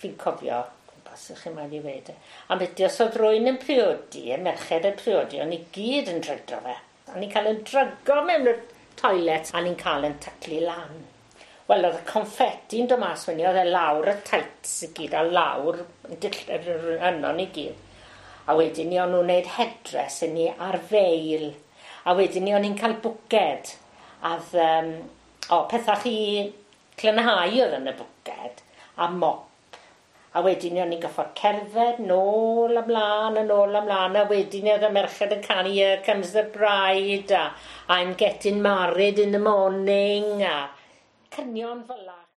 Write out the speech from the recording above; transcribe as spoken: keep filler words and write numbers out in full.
Fi'n cofio, gwmpas ych chi'n moyn i weud e. A beth os oedd rywun yn priodi, y merched yn priodi, o'n i gyd yn drydo fe. O'n i'n cael yn drygo mewn y toilet a ni'n cael yn taclu lan. Wel, oedd y confetti'n dod mas fyny, oedd e lawr y tights i gyd, a lawr yno ni gyd. A wedyn ni o'n nhw'n gwneud headdress i ni ar veil. A wedyn ni o'n i'n cael bwced. A oedd, um, o, pethau chi glanhau oedd yn y bwced. A mop. A wedyn ni o'n i'n goffod cerdded nôl ymlaen a nôl ymlaen. A wedyn ni oedd y merched yn canu "Here Comes the Bride" a "I'm Getting Married in the Morning" a cynion fel 'a.